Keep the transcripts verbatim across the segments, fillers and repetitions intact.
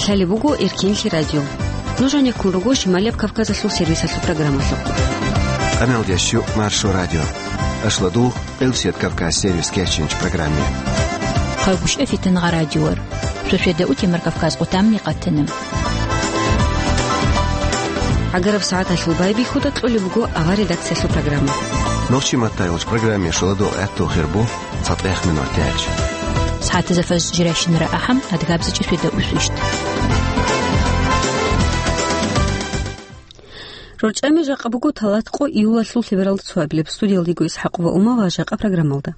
Гьале буго Эркенлъи радио. Нуж гьанеккун руго Шималияб Кавказалъул сервисалъул программалъухъ. Къаналдияс щу Маршо радио. Ашладул, Къилсият Кавказ сервис кечинч программе. Хъалгушев Фитангъа радиор. Шошеда утемар Кавказ къутамни къатана. ГӀагараб сагӀаталъул байбихьуда кьолеб буго авар редакциялъул программа. Нурчи Маттаевич программе шуладул гӀатту хирбу. ЦатӀех минут тяч. СагӀатазда фаз жирайщинара ахӀам, адгабзичӀи светда усвищт. РорчӀами жакъа буго талат къо июлалъул лъебералда цоабилеб. Студиялдего ИсхӀакъова Ума ва жакъа программалда.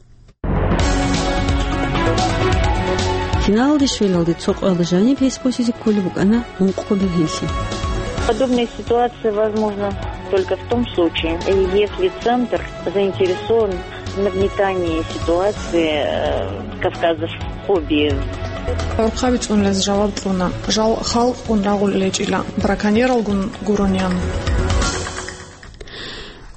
Финалалде щвелалде цо къоялда жаниб гьес босизе кколеб букӀана ункъго бергьенлъи. Подобная ситуация возможна только в том случае, если центр заинтересован в нагнетании ситуации, э, кавказофобии. ГӀурхъаби цӀунулез жаваб кьуна, жал халкъгун рагъул гьечӀила, браконьералгун гуронян.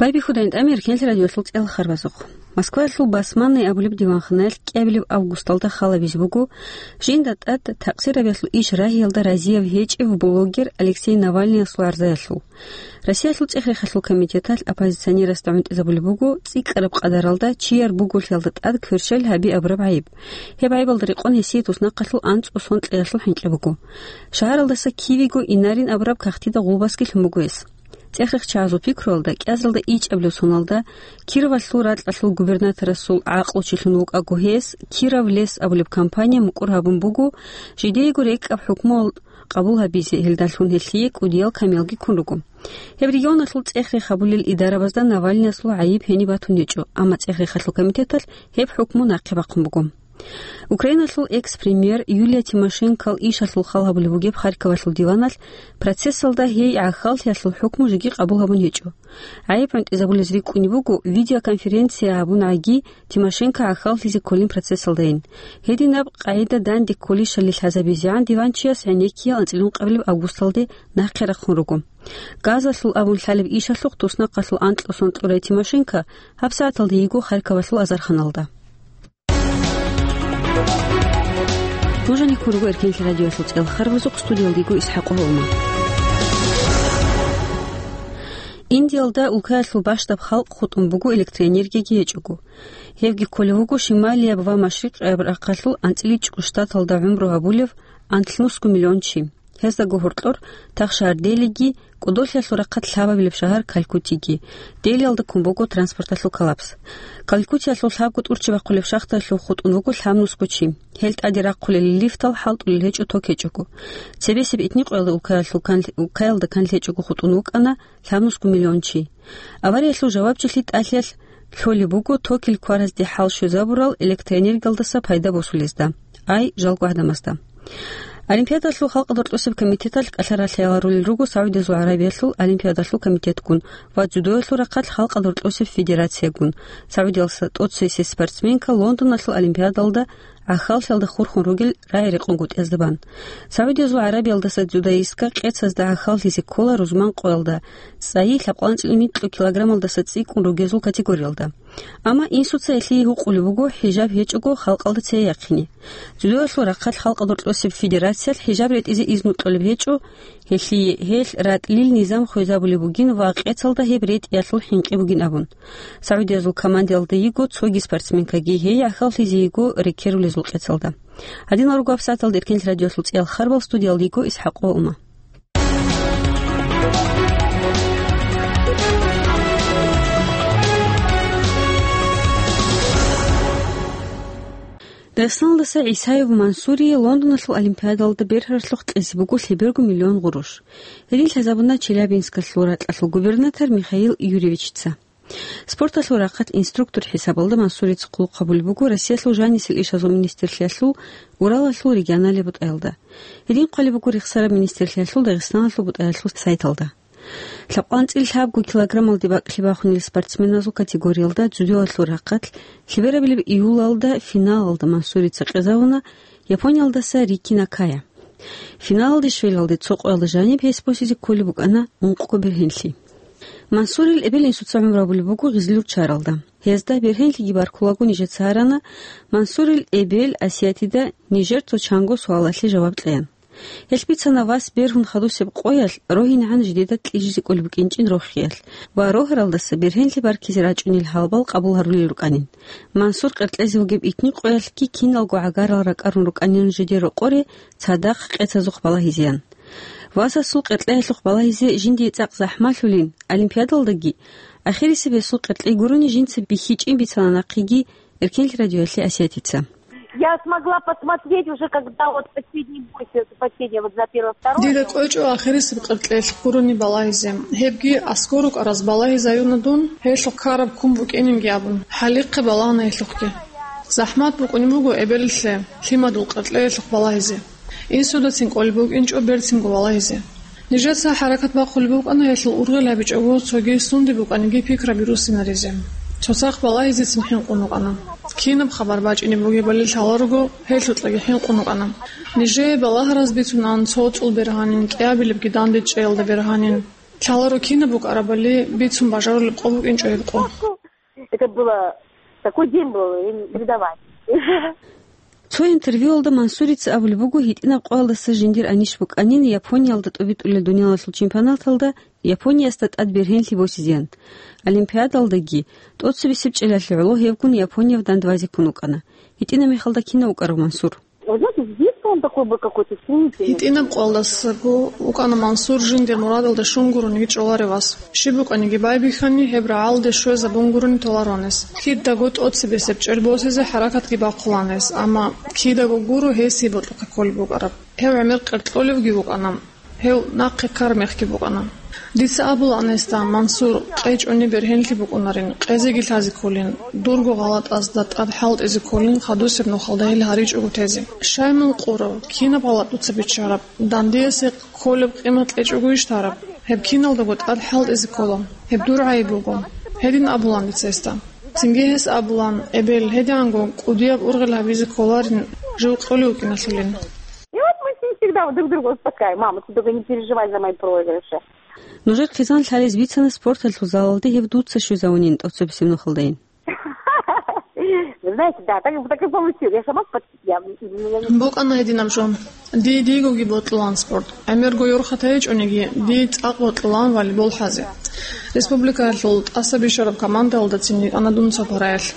Байбихьудайин тӀамир Эркенлъи радиолъул цӀелхарбазухъ. Москваялъул Басманный абулеб диванханаялъ кӀиабилеб августалда халабизе буго жинда тӀад такъсирабиялъул иш рагьиялда разияб гьечӀев блогер Алексей Навальныясул гӀарзаялъул. Россиялъул цӀехрехалъул комитеталъ оппозиционерасда гӀунтӀизабулеб буго цӀикӀкӀараб къадаралда чияр буголъиялда тӀад кверщел гьаби абураб гӀайиб. Гьеб гӀайибалда рекъон гьесие туснахъалъул анцӀго сон кьеялъул хӀинкьи буго. Шагьаралдаса кивего Инарин абураб кагътида гъулбасги лъун буго гьес. ЦӀехрехчагӀазул пикруялда кӀиазалда ичӀабилеб соналда Кировалъул ракьалъул губернаторасул гӀакълучилъун вукӀаго гьес Киров лес абулеб компания мукӀур гьабун буго, жидеего рекӀкӀаб хӀукмуял къабул гьабизе, гьелдалъун гьелъие кӀудиял камиялги ккун руго. Гьеб регионалъул цӀехрех гьабулел идарабазда Навальныясул гӀайиб гьениб батун гьечӀо, амма цӀехрехалъул комитеталъ гьеб хӀукму нахъе бахъун буго. Украиналъул экс-премьер Юлия Тимошенкол ишалъул хал гьабулеб бугеб Харьковалъул диваналъ процессалда гьей гӀахьаллъиялъул хӀукму жеги къабул гьабун гьечӀо. ГӀайиб гӀунтӀизабулез рикӀкӀунеб буго, видеоконференция гьабун гӀаги Тимошенко гӀахьаллъизе кколин процессалдайин. Гьединаб къагӀида данде кколищали лъазабизегӀан диванчияс гӀенеккиял анцӀила ункъабилеб августалде нахъе рахъун руго. Газалъул абун лъалеб ишалъухъ туснахъалъул анкьго сон кьурай Тимошенко гьабсагӀаталда йиго Харьковалъул азарханалда. Нуж гьанеккун руго Эркенлъи радиоялъул цӀелхарбазухъ, студиялдего ИсхӀакъова Ума. Индиялда улкаялъул бащдаб халкъ хутӀун буго электроэнергияги гьечӀого. Гьебги кколев вуго шималияб ва машрикъияб рахъалъул анцӀила чӀужу штаталда гӀумру гьабулев анлънусго миллион чи. Гьездаго гьоркьор Тахшагьар Делиги, кӀодолъиялъул рахъалъ лъабабилеб шагьар Калькутиги. Делиялда ккун буго транспорталъул коллапс. Калькутиялъул лъабго тӀурччи бахъулеб шахтаялъув хутӀун вуго лъабнусго чи. Гьел тӀаде рахъулел лифтал хӀалтӀулел гьечӀо ток гьечӀого. Цебесеб итникъоялда улкаялъул кан-, улкаялда канлъи гьечӀого хутӀун вукӀана лъабнусго миллион чи. Авариялъул жавабчилъи тӀалъиялъ лъолеб буго токил кваразде хӀал щвезабурал электроэнергиялдаса пайда босулезда, ай, жалго гӀадамазда. Олимпиадалъул халкъалда рокьосеб комитеталъ кӀалъа ралъияларулел руго СагӀудиязул ГӀарабиялъул олимпиадалъул комитетгун ва дзюдоялъул рахъалъ халкъалда рокьосеб федерациягун, СагӀудиялдаса тӀоцесеб спортсменка Лондоналъул олимпиадалда гӀахьаллъиялда хурхун ругел рагӀи-рекъон гутӀиязда бан. СагӀудиязул ГӀарабиялдаса дзюдоистка къецазда гӀахьаллъизе ккола рузман къоялда, цӀайи лъабкъанцӀил нилъго килограммалдаса цӀикӀкӀун ругезул категориялда. Амма инсуца гьелъие гьукъулеб буго хӀижаб гьечӀого халкъалда цее яхъине. Дзюдоялъул рахъалъ халкъалда рокьосеб федерациялъ хӀижаб ретӀизе изну кьолеб гьечӀо, гьелъие гьелъ ратӀлил низам хвезабулеб бугин ва къецалда гьеб ретӀиялъул хӀинкъи бугин абун. СагӀудиязул командиялда йиго цоги спортсменкаги, гьей гӀахьаллъизе йиго рекерулезул къецалда. Гьадинал руго гьабсагӀаталда Эркенлъи радиоялъул цӀеял харбал, студиялда йиго ИсхӀакъова Ума. Дагъистаналдаса ГӀисаев Мансурие Лондоналъул олимпиадалда бергьаралъухъ кьезе буго лъеберго миллион гъурущ. Гьедин лъазабуна Челябинскалъул ракьалъул губернатор Михаил Юрьевичица. Спорталъул рахъалъ инструктор хӀисабалда Мансурица хъулухъ гьабулеб буго Россиялъул жанисел ишазул министрлъиялъул Уралалъул регионалияб бутӀаялда. Гьедин хъвалеб буго рехсараб министрлъиялъул Дагъистаналъул бутӀаялъул сайталда. ЛъабкъанцӀил лъабго килограммалде бакӀлъи бахунел спортсменазул категориялда дзюдоялъул рахъалъ лъеберабилеб июлалда финалалда Мансурица къезавуна Япониялдаса Рики Накая. Финалалде щвелалде цо къоялда жаниб гьес босизе кколеб букӀана ункъго бергьенлъи. Мансурил эбел-инсуца гӀумру гьабулеб буго Гъизлюрччаралда. Гьезда бергьенлъиги баркулаго нижеца гьарана, Мансурил эбел Асиятида нижер цо чанго суалалъе жаваб кьеян. Гьелъ бицана вас бергьун хадусеб къоялъ рогьинегӀан жидеда кьижизе кӀолеб букӀинчӀин рохиялъ ва рогьаралдаса бергьенлъи баркизе рачӀунел гьалабал къабул гьарулел рукӀанин. Мансур къеркьезе вугеб итни къоялъги киналго гӀагарал ракӀарун рукӀанин жидер рокъоре цадахъ къецазухъ балагьизеян. Васасул къеркьеялъухъ балагьизе жиндие цӀакъ захӀмалъулин, олимпиадалдаги, ахирисеб гьесул къеркьей гурони жинца бихьичӀин бицана нахъеги Эркенлъи радиоялъе Асиятица. Я смогла посмотреть уже, когда вот последний бой, с-, последний, вот за первое, второе. Дида кӀвечӀо ахирисеб къеркьеялъухъ гурони балагьизе. Гьебги аскӀор рукӀараз балагьизаюна дун, гьелъухъ ккараб ккун букӀининги абун. ХӀалихъе балагьана гьелъухъги. ЗахӀмат букӀунеб буго эбелалъе лъимадул къеркьеялъухъ балагьизе. Инсудацин кӀолеб букӀинчӀо берцинго балагьизе. Нижеца хӀаракат бахъулеб букӀана гьелъул ургъел гьабичӀого цоги сунде букӀаниги пикраби руссинаризе. Цоцахъ балагьизецин хӀинкъун рукӀана. Кинаб хабар бачӀине бугебали лъаларого, гьелъукьаги хӀинкъун рукӀана. Нижее балагьараз бицунан цо цӀул бергьанин, кӀиабилебги дандечӀеялда бергьанин. Лъаларо кинаб букӀарабали бицун бажарулеб къо букӀинчӀо гьеб къо. Это было, такой день был, и не давай. Цо интервьюялда Мансурица абулеб буго, гьитӀинаб къоялдаса жиндир анищ букӀанин Япониялда тӀобитӀулел дуниялалъул чемпионаталда Япониясда тӀад бергьенлъи босизеян. Олимпиадалдаги, тӀоцебесеб чӀелалъе гӀоло гьевгун Японияб дандбазе ккун вукӀана. ГьитӀинаб мехалда кинав вукӀарав Мансур? Вы знаете, с детства он такой был какой-то стремительный. ГьитӀинаб къоялдасаго вукӀана Мансур жиндир мурадалда щун гурони чӀоларев вас. Щиб букӀаниги байбихьани, гьеб рагӀалде щвезабун гурони толаронес. Кидаго тӀоцебесеб чӀел босизе хӀаракатги бахъуланес, амма кидаго гуро гьесие бокьухъе кколеб букӀараб. Гьев гӀемер къеркьолевги вукӀана, гьев нахъе ккараб мехги букӀана. Дица абулаан гьесда, Мансур, къечӀони бергьенлъи букӀунарин, къезеги лъазе кколин, дурго гъалатӀазда тӀад хӀалтӀизе кколин, хадусеб нухалда гьел гьаричӀого тезе. Щай мун къурав, кинаб гъалатӀ дуца биччараб? Дандиясе кколеб къимат кьечӀого иш тараб? Гьеб киналдаго тӀад хӀалтӀизе ккола. Гьеб дур гӀайиб буго. Гьедин абулаан дица гьесда. Цинги гьес абулаан, эбел, гьедигӀанго кӀудияб ургъел гьабизе кколарин, жив кьолев вукӀиналъулин. И вот мы с ним всегда вот друг друга успокаиваем. Мама, ты только не переживай за мои проигрыши. Нужер хъизан лъалез бицана спорталъул залалде гьев дуца щвезавунин тӀоцебесеб нухалдайин. Вы знаете, да, так, так и получилось. Я сама спортсмен. Я, я не... БукӀана гьединаб жо. Дие дигоги бокьулаан спорт. ГӀемерго ёрхатайичӀониги, дие цӀакъ бокьулаан волейбол хӀазе. Республикаялъул тӀаса бищараб командаялдацин йикӀана дун цо параялъ.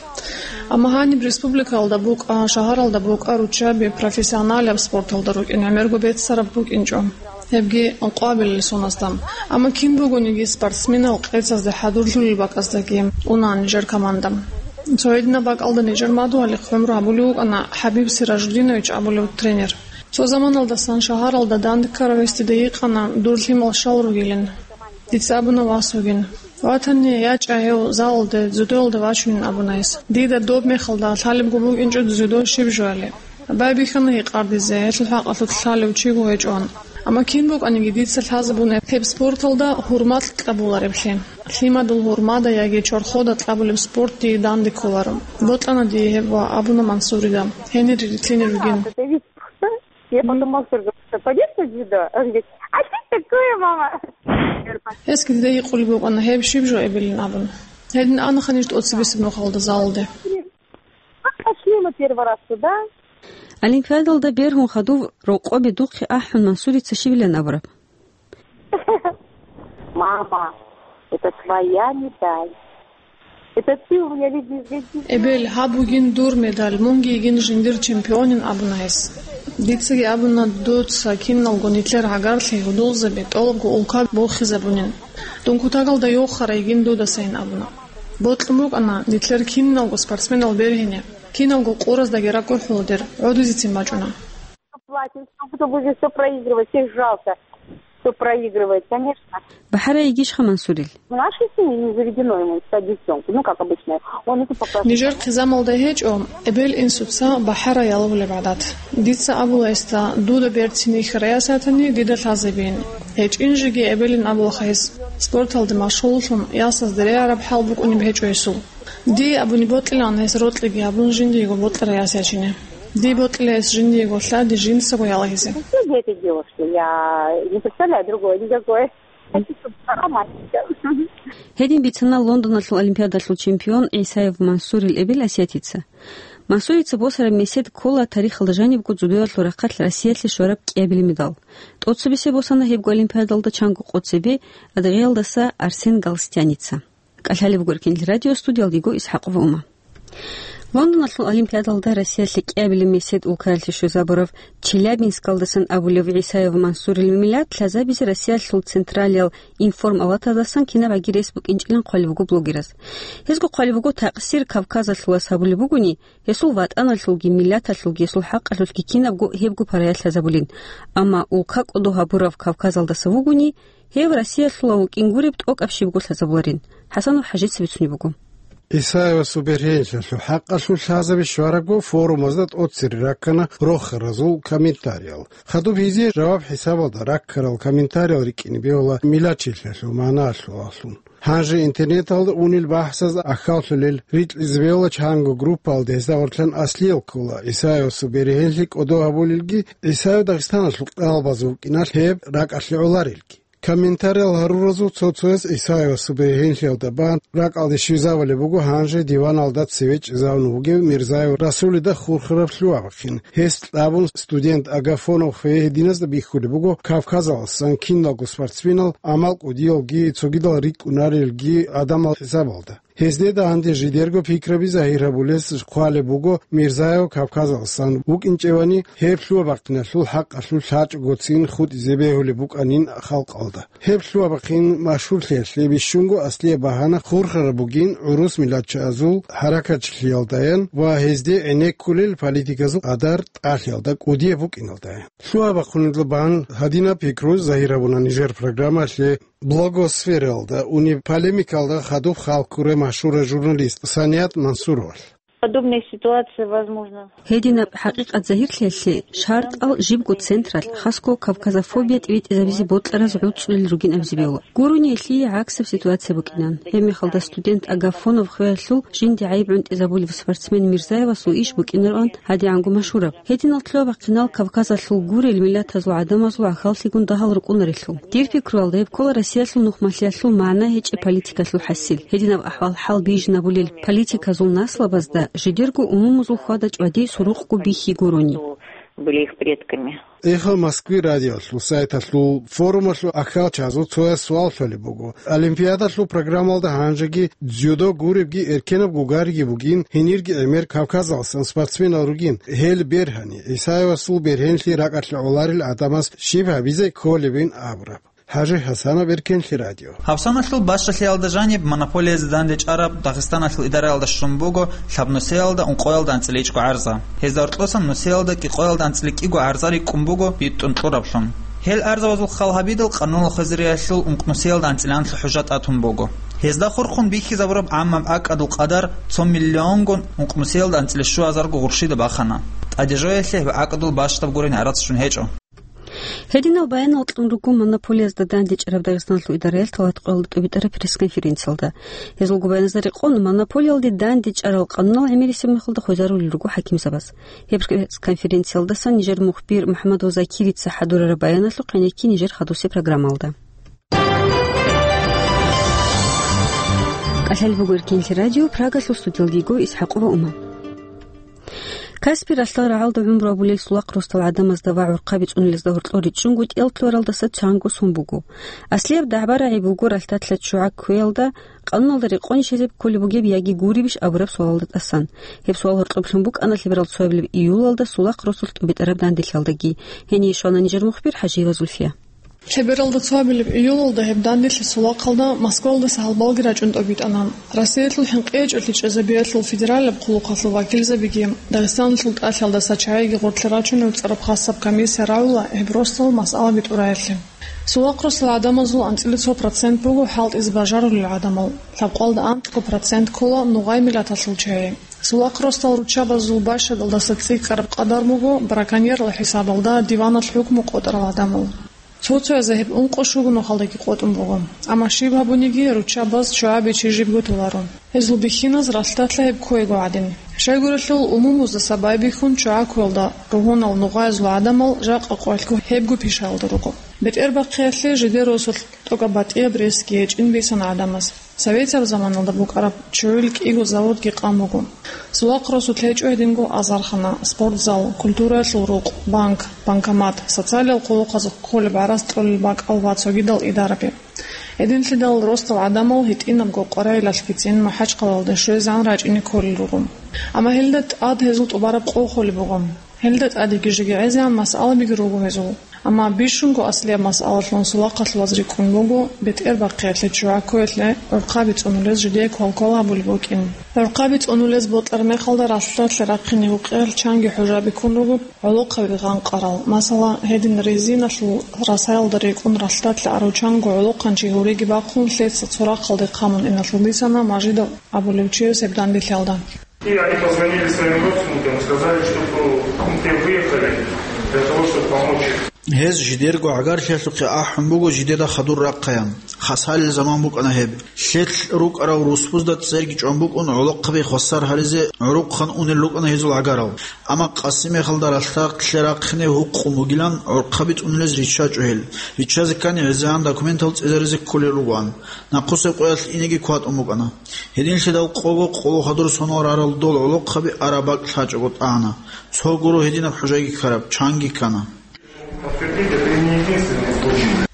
Амма гьаниб республикаялда букӀа, шагьаралда букӀа руччаби профессионалияб спорталда рукӀин гӀемерго беццараб букӀинчӀо. Гьебги къвабилел сонасда. Амма кин бугониги спортсменал къецазде хӀадурлъулел бакӀаздаги унаан нижер команда. Цо гьединаб бакӀалда нижер мадугьали хъумру гьабулев вукӀана ХӀабиб Сиражудинович абулев тренер. Цо заманалдасан шагьаралда данде ккарав гьесде йикъана дур лъимал щал ругилин. Дица абуна вас вугин. Ватани ячӀа гьев залалде дзюдоялда вачунин абуна гьес. Дида доб мехалда лъалебго букӀинчӀо дзюдо щиб жояли. Байбихьана гьикъардизе, гьелъул хӀакъалъулъ лъалев чиго гьечӀоан. Амма кин букӀаниги дица лъазабуна гьеб спорталда гьурмалъ кьабулареблъи. Лъимадул гьурмада яги чорхода кьабулеб спорт дие данде кколаро. Бокьана дие гьеб ва абуна Мансурида, гьенире рилълъине ругин. Я потом Мансур говорит, что пойдём на дзюдо? Он говорит, а что такое, мама? Гьесги дида гьикъулеб букӀана гьеб щиб жо эбелин абун. Гьедин ана ханиж тӀоцебесеб нухалда залалде. Пошли мы первый раз туда. Олимпиадалда бергьун хадув рокъобе духъе ахӀун Мансурица щибилан абураб? Мама, это твоя медаль. Это ты у меня любимый. Эбел, гьаб бугин дур медаль, мунги йигин жиндир чемпионин абуна гьес. Дицаги абуна, дуца киналго нилъер гӀагарлъи гьудулзаби тӀолабго улка бохизабунин. Дун кутакалда йохара йигин дудасайин абуна. Бокьун букӀана нилъер киналго спортсменал бергьине, киналго къураздаги ракӀурхӀула дир, гӀодизецин бачӀуна. Платим, что кто будет всё проигрывать, всех жалко, кто проигрывает, конечно. БахӀарай йигищха Мансурил? В нашей семье не заведено ему стать девчонкой, ну, как обычно, он это пока... Нижер хъизамалда гьечӀо эбел-инсуца бахӀарай ялавулеб гӀадат. Дица абула гьесда, дуда берцин йихьарай ясатани дида лъазабин. ГьечӀин жеги эбелин абулаха гьес, спорталде машгьуллъун ясазде регӀараб хӀал букӀунеб гьечӀо гьесул. Дие абуни бокьилаан гьес рокьиги гьабун жиндиего бокьарай ясачине. Дие бокьила гьес жиндиего лъади жинцаго ялагьизе. Все дети девушки, я не представляю другое никакое. Хочу, чтобы была мальчиком. Гьедин бицана Лондоналъул олимпиадалъул чемпион ГӀисаев Мансурил эбел Асиятица. Мансурица босараб месед ккола тарихалда жанибго дзюдоялъул рахъалъ Россиялъе щвараб кӀиабилеб медал. ТӀоцебесеб босана гьебго олимпиадалда чанго къо цебе Адыгеялдаса Арсен Галстяница. КӀалъалеб буго Эркенлъи радио, студиялдего ИсхӀакъова Ума. Лондоналъул олимпиадалда Россиялъе кӀиабилеб месед улкаялъе щвезабурав Челябинскалдасан абулев ГӀисаев Мансурил миллат лъазабизе Россиялъул централиял информалатаздасан кинабгӀаги рес букӀинчӀилан хъвалеб буго блогераз. Гьезго хъвалеб буго, такъсир Кавказалъулас гьабулеб бугони, гьесул ватӀаналъулги, миллаталъулги, гьесул хӀакъалъулъги кинабго гьебго параялъ лъазабулин. Амма улка кӀодо гьабурав Кавказалдаса вугони, гьев Россиялъула вукӀин гуреб тӀокӀаб щибго лъазабуларин. ХӀасанов ХӀажица бицунеб буго. ГӀисаевасул бергьенлъиялъул хӀакъалъулъ лъазаби щварабго форумазда тӀоцере раккана рохаразул комментариял. Хадуб гьезие жаваб хӀисабалда раккарал комментариял рикӀкӀине бегьула миллатчилъиялъул магӀналъулалъун. Гьанже интернеталда унел бахӀсаз ахьаллъулел рикьизе бегьула чанго группаялда гьезда гъорлъан аслиял ккола ГӀисаевасул бергьенлъи кӀодо гьабулелги, ГӀисаев Дагъистаналъул кӀалбазе вукӀиналъ гьеб ракӀалъе гӀоларелги. Комментариял гьаруразул цо-цояс ГӀисаевасул бергьенлъиялда бан ракӀалде щвезабулеб буго гьанже диваналда цеве чӀезавун вугев Мирзаев Расулида хурхараб лъугьа-бахъин. Гьес кьабун студент Агафонов хвей гьединазда бихьулеб буго Кавказалъусан киналго спортсменал, амал кӀудиялги цогидал рикӀкӀунарелги гӀадамал хӀисабалда. Гьезде данде жидерго пикраби загьир гьабулес хъвалеб буго, Мирзаев Кавказалъусан вукӀинчӀевани, гьеб лъугьа-бахъиналъул хӀакъалъулъ лъачӀого цин хутӀизе бегьулеб букӀанин халкъалда. Гьеб лъугьа-бахъин машгьурлъиялъе бищунго аслияб багьана хурхараб бугин гӀурус миллатчиязул хӀаракатчилъиялдаян ва гьезде гӀенеккулел политиказул къадар тӀалъиялда кӀудияб букӀиналдаян. Лъугьа-бахъунилан гьадинаб пикру загьир гьабуна нижер программалъе блогосфералда унеб полемикалда хадуб халкуре машгьурав журналист Саният Мансуровалъ. Подобная ситуация возможна. Гьединаб хӀакъикъат загьирлъиялъе шартӀал жибго централъ, хасго кавказофобия тӀибитӀизабизе бокьараз гӀуцӀулел ругин абизе бегьула. Гурони гьелъие гӀаксаб ситуация букӀинан. Гьеб мехалда студент Агафонов хвеялъул жинде гӀайиб гӀунтӀизабулев спортсмен Мирзаевасул иш букӀинароан гьадигӀанго машгьураб. Гьединал лъугьа-бахъинал Кавказалъул гурел миллатазул гӀадамазул гӀахьаллъигун дагьал рукӀунарелъул. Дир пикруялда, гьеб ккола Россиялъул нухмалъиялъул магӀна гьечӀеб политикалъул хӀасил. Гьединаб ахӀвал-хӀал бижинабулел политиказул наслабазда жидерго умумузул хьвада-чӀвади сурукъго бихьи гурони. Были их предками. Эхо Москвы радиолъул сайталъул форумалъул ахьалчазул цояс суал лъолеб буго. Олимпиадалъул программалда гьанжеги дзюдо гуребги эркенаб гугариги бугин, гьенирги гӀемер Кавказалъусан спортсменал ругин. Гьел бергьани, ГӀисаевасул бергьенлъи ракӀалъе гӀоларел гӀадамаз щиб гьабизе кколебин абураб. ХӀажи ХӀасанов, Эркенлъи радио. Гьавсаналъул бащалъиялда жаниб монополиязе дандечӀараб Дагъистаналъул идараялда щун буго лъабнусиялда ункъоялда анцӀила ичӀго гӀарза. Гьезда гьоркьосан нусиялда кӀикъоялда анцӀила кӀиго гӀарза рикӀкӀун буго битӀун кьураб лъун. Гьел гӀарзабазул хал гьабидал, къануналъул хвезариялъул ункънусиялда анцӀила хӀужа тӀатун буго. Гьезда хурхун бихьизабураб гӀаммаб акӀадул къадар цо миллионгун ункънусиялда анцӀила щуазарго гъурщида бахана. ТӀаде жоялъе гьеб акӀадул бащдаб гурин гӀарац щун гьечӀо. Гьединал баянал кьун руго монополиязда дандечӀараб Дагъистаналъул идараялъ тӀалаб къоялда тӀубитӀараб пресс-конференциялда. Гьезулго баяназда рекъон, монополиялде дандечӀарал къанунал гӀемерисеб мехалда хвезарулел руго хӀакимзабаз. Гьеб пресс-конференциялдасан нижер мухбир МухӀаммадов Закирица хӀадурараб баяналъухъ гьенекке нижер хадусеб программалда. КӀалъалеб буго Эркенлъи радио, Прагалъул студиялдего ИсхӀакъова Ума. Каспи ралъдал рагӀалда гӀумру гьабулел сулахъ росдал гӀадамазда ва гӀурхъаби цӀунулезда гьоркьор ричӀчӀунго тӀел ккаралдаса чанго сон буго. Аслияб дагӀба-рагӀи буго ралъдалъа ччугӀа кквеялда, къануналда рекъонищ гьезеб кколеб бугеб яги гуребищ абураб суалалда тӀасан. Гьеб суал гьоркьоб лъун букӀана лъеберал цоабилеб июлалда сулахъ росулъ тӀубитӀараб данделъиялдаги. Гьение щвана нижер мухбир ХӀажиева Зульфия. Лъебералда цоабилеб июлалда гьеб данделъи сулахъалда Москвалдаса гьалбалги рачӀун тӀобитӀана. Россиялъул хӀинкъичӀелъи чӀезабиялъул федералаб хъулухъалъул вакилзабиги, Дагъистаналъул тӀалъиялда сачагӀиги гъорлъе рачунев цӀараб хасаб комиссия рагӀула гьеб росдал масъала битӀураялъе. Сулахъ росдал гӀадамазул анцӀила цо процент буго хӀалтӀизе бажарулел гӀадамал, лъабкъоялда анкьго процент ккола нугъай миллаталъул чагӀи. Сулахъ росдал руччабазул бащадалдаса цӀикӀкӀараб къадар буго браконьерла хӀисабалда диваналъ хӀукму къотӀарал гӀадамал. Цо-цояз гьеб ункъо-щуго нухалдаги къотӀун буго. Амма щиб гьабуниги, руччабаз ччугӀа бичи жибго толаро. Гьезул бихьиназ ралъдалъа гьеб кквего гӀадин. Щайгурелъул, умумуздаса байбихьун ччугӀа кквелда ругьунал нугъаязул гӀадамал жакъа къоялъго гьебго пишаялда руго. БетӀербахъиялъе жидер росулъ тӀокӀаб батӀияб ресги гьечӀин бицана гӀадамаз. Советияб заманалда букӀараб чугӀил кӀиго заводги къан буго. Сулахъ росулъ гьечӀо гьединго азархана, спортзал, культураялъул рукъ, банк, банкомат, социалиял къулухъазухъ кколеб гӀарац кьолел бакӀал ва цогидал идараби. Гьединлъидал росдал гӀадамал гьитӀинабго къваригӀелалъгицин МахӀачхъалаялде щвезегӀан рачӀине кколел руго. Амма гьелда тӀад гьезул тӀубараб къо холеб буго. Гьелда тӀадеги жеги гӀезегӀан масъалабиги руго гьезул. Амма бищунго аслияб масъалалъун сулахъалъулаз рикӀкӀун буго бетӀербахъиялъе, чугӀаккуялъе гӀурхъаби цӀунулез жидее квалквал гьабулеб букӀин. ГӀурхъаби цӀунулез бокьараб мехалда ралъдалъе рахъине гьукъиялъ чанги хӀужаби ккун руго гӀолохъаби гъанкъарал, масала, гьедин резиналъул расаялда рекӀун ралъдалъе арав чанго гӀолохъанчи гьуреги бахъун, лъеца цо рахъалде хъамун иналъул бицана Мажидов абулев чияс гьеб данделъиялда. И они позвонили своим родственникам, сказали, чтобы, ну, те выехали для того, чтобы помочь им. Гьез жидерго гӀагарлъиялъухъе ахӀун буго жидеда хадур рахъаян. Хасалил заман букӀана гьеб. Лъелъ рукӀарав русбузда церги чӀван букӀун гӀолохъаби хвасар гьаризе гӀурухъан унел рукӀана гьезул гӀагарал. Амма къаси мехалда ралъдалъе рахъине гьукъун бугилан гӀурхъаби цӀунулез риччачӀо гьел. Риччазе ккани гӀезегӀан документал цӀезаризе кколел ругоан. Нахъусеб къоялъ инеги кватӀун букӀана. Гьединлъидал къого къоло хадур сонал рарал дол гӀолохъаби араб бакӀ лъачӀого тӀагӀана. Цо гуро гьединаб хӀужайги ккараб, чанги ккана.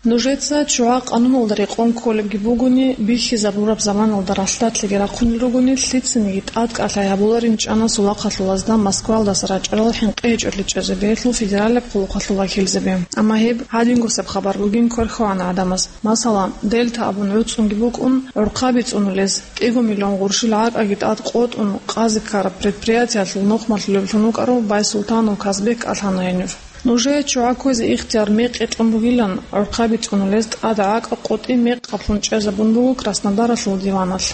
Нужеца чугӀа къануналда рекъон кколебги бугони, бихьизабураб заманалда ралъдалъеги рахъунел ругони, лъицаниги тӀадкӀалъай гьабуларин чӀана сулахъалъулазда Москвалдаса рачӀарал хӀинкъи гьечӀолъи чӀезабиялъул федералияб къулухъалъул вакилзаби. Амма гьеб гьадингусеб хабар бугин кверхьавана гӀадамаз. Масала, Дельта абун гӀуцӀунги букӀун, гӀурхъаби цӀунулез кӀиго миллион гъурщил гӀакӀаги тӀад къотӀун, къазе ккараб предприятиялъул нухмалъулевлъун вукӀарав Байсултанов Казбек кӀалъана гьенив. Нужее чугӀа кквезе ихтияр мекъи кьун бугилан, гӀурхъаби цӀунулез тӀад гӀакӀа къотӀи мекъаблъун чӀезабун буго Краснодаралъул диваналъ.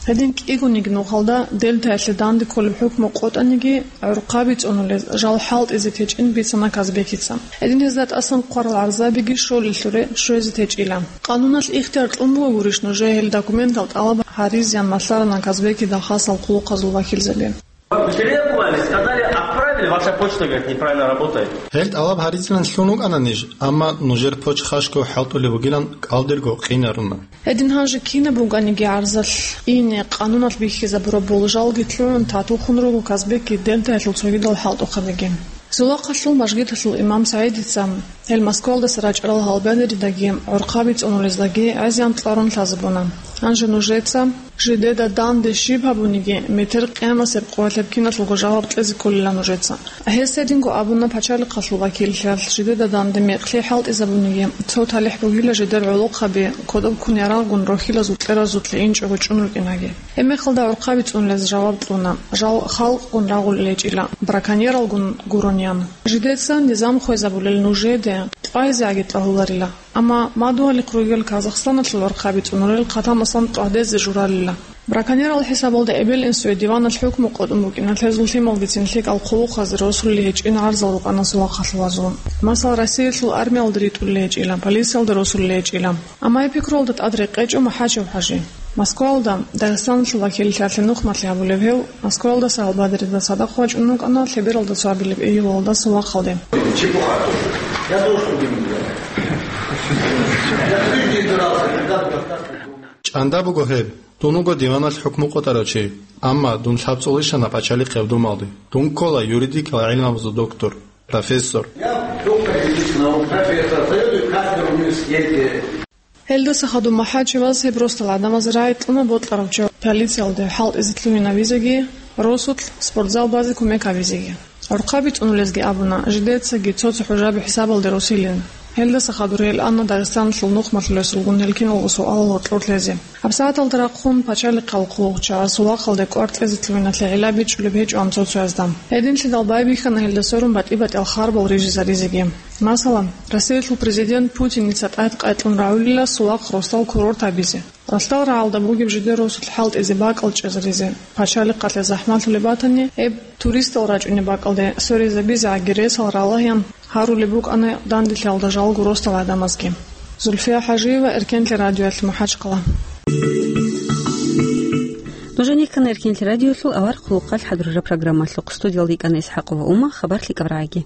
Гьедин кӀигониги нухалда Дельтаялъе данде кколеб хӀукму къотӀаниги, гӀурхъаби цӀунулез жал хӀалтӀизе течӀин бицана Казбекица. Гьедин гьезда тӀасан хъварал гӀарзабиги щолелъуре щвезе течӀила. Къануналъ ихтияр кьун буго гурищ нужее гьел документал тӀалаб гьаризеян малъарана Казбекида хасал къулухъазул вакилзаби. Потребовали, сказали, отправили, ваша почта, говорит, неправильно работает. Гьел тӀалаб гьаризилан лъун вукӀана ниж, амма нужер почта хашго хӀалтӀулеб бугилан кӀалдирго къинаруна. Гьедин гьанже кинаб бугониги гӀарзалъ ине къануналъ бихьизабураб болжалги лъугӀун татулхъун руго Казбекги Дельтаялъул цогидал хӀалтӀухъабиги. Сулахъалъул мажгиталъул имам СагӀидица гьел Москвалдаса рачӀарал гьалбадеридаги гӀурхъаби цӀунулездаги гӀезегӀан кьарун лъазабуна. Гьанже нужеца жидеда данде щиб гьабуниги, метер къиямасеб къоялъеб киналъулго жаваб кьезе кколила нужеца. Гьес гьединго абуна пачалихъалъул вакиллъиялъ, жидеда данде мекълъи хӀалтӀизабуниги, цо талихӀ бугила жидер гӀолохъаби кодоб ккун ярагъгун рохьилазул кьеразулъе инчӀого чӀун рукӀинаги. Гьебмехалда гӀурхъаби цӀунулез жаваб кьуна, жал халкъгун рагъулел гьечӀила, браконьералгун гурони ан. Жидеца низам хвезабулел нужеде тӀвайзеги тӀагьуларила. Амма мадугьалихъ ругел Казахстаналъул гӀурхъаби цӀунулел хъатамасан тӀвагьдезе журалила. Браконьерал хӀисабалда эбел-инсуе диваналъ хӀукму къотӀун букӀиналъ гьезул лъималгицин лъикӀал хъулухъазе росулел гьечӀин гӀарзал рукӀана сулахъалъулазул. Масала, Россиялъул армиялда ритӀулел гьечӀила, полициялда росулел гьечӀила. Амма гьеб пикруялда тӀад рекъечӀо МахӀачев ХӀажи. Москвалда Дагъистаналъул вакиллъиялъе нухмалъи гьабулев гьев Москвалдаса гьалбадерида цадахъ вачӀун вукӀана лъебералда цо абилеб июлалда сулахъалде. Чепуха тоже. Я тоже другим не делаю. Я в жизни не дрался, никогда не дрался. ЧӀанда буго гьеб, дун вуго диваналъ хӀукму къотӀарав чи, амма дун лъабцӀулищана пачалихъ гьев думалде. Дун ккола юридикал гӀилмабазул доктор, профессор. Я доктор юридических наук, профессор, заведует кафедрой в университете. Гьелдаса хадуб МахӀачеваз гьеб росдал гӀадамаз рагӀи кьуна бокьарав чи полициялде хӀалтӀизе лъугьинавизеги, росулъ спортзал базе кумек гьабизеги. ГӀурхъаби цӀунулезги абуна, жидецаги цо-цо хӀужаби хӀисабалде росилин. Гьелдаса хадур гьел ана Дагъистаналъул нухмалъулесулгун гьел киналго суалал гьоркьор лъезе. ГьабсагӀаталда рахъун пачалихъал хъулухъчагӀаз сулахъалде кӀвар кьезе лъугьиналъе гӀилла бичӀчӀулеб гьечӀо цо-цоязда. Гьединлъидал байбихьана гьелда сверун батӀи-батӀиял харбал рижизаризеги. Масала, Россиялъул президент Путиница тӀад къайкьун рагӀулила сулахъ росдал курорт гьабизе. Ралъдал рагӀалда бугеб жидер росулъ хӀалтӀизе бакӀал чӀезаризе, пачалихъалъе захӀмалъулеб батани, гьеб туристал рачӀунеб бакӀалде сверизабизе гӀагиресал ралагьян гьарулеб букӀана данделъиялда жалго росдал гӀадамазги. Зульфия ХӀажиева, Эркенлъи радиоялъ, МахӀачхъала. Нужеца ккана Эркенлъи радиоялъул авар хъулухъалъ хӀадурараб программалъухъ. Студиялда йикӀана ИсхӀакъова Ума, хабар лъикӀаб рагӀаги.